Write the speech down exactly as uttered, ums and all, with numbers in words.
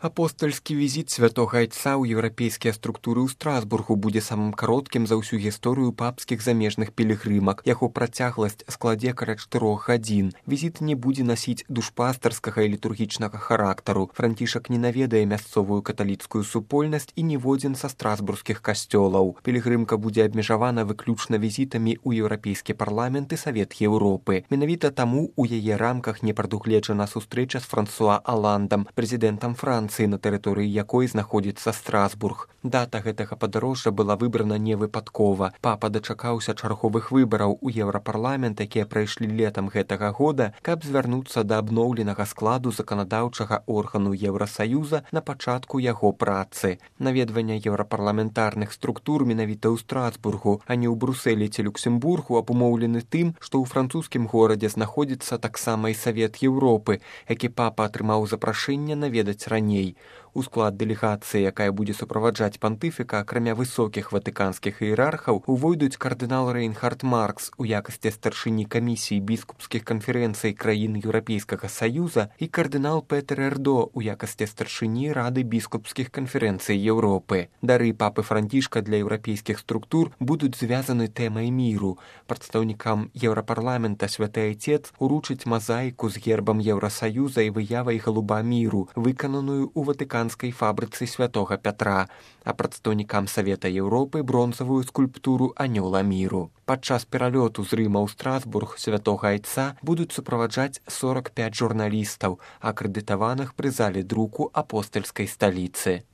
Апостальскі візіт святога айца ў еўрапейскія структуры ў Страсбургу будзе самым кароткім за ўсю гісторыю папскіх замежных пілігрымак. Яго працягласць складзе каля чатырох гадзін. Візіт не будзе насіць душпастарскага і літургічнага характару. Францішак не наведае мясцовую каталіцкую супольнасць і ніводзін са страсбургскіх касцёлаў. Пілігрымка будзе абмежавана выключна візітамі ў еўрапейскі парламент і Савет Еўропы. Менавіта таму у яе рамках не прадугледжана сустрэча з Франсуа Аландам, прэзідэнтам Францыі, на тэрыторыі якой знаходзіцца Страсбург. Дата гэтага падарожжа была выбрана невыпадкова. Папа дачакаўся чарговых выбараў у Еўрапарламент, якія прайшлі летам гэтага года, каб звярнуцца да абноўленага складу заканадаўчага органу Еўрасаюза на пачатку яго працы. Наведванне еўрапарламентарных структур менавіта ў Страсбургу, а не ў Брусэлі ці Люксембургу, абумоўлены тым, што ў французскім горадзе знаходзіцца таксама і Савет Еўропы, які папа атрымаў запрашэнне наведаць раней. У склад дэлегацыі, якая будзе суправаджаць пантыфіка, акрамя высокіх ватыканскіх іерархаў, увойдуць кардынал Рейнхард Маркс у якасці старшыні камісіі біскупскіх канферэнцый краін Еўрапейскага Саюза і кардынал Петер Эрдо у якасці старшыні Рады біскупскіх канферэнцый Еўропы. Дары папы Францішка для еўрапейскіх структур будуць звязаны тэмай міру. Прадстаўнікам Еўрапарламента святы айцец уручыць мазаіку з гербам Еўрасаюза і выявай галуба міру, выкананую у ватыканскай фабрыцы святога Пятра, а прадстаўнікам Савета Еўропы бронзавую скульптуру анёла міру. Падчас пералёту з Рыма ў Страсбург святога айца будуць суправаджаць сорак пяць журналістаў, акрэдытаваных пры зале друку апостальскай сталіцы.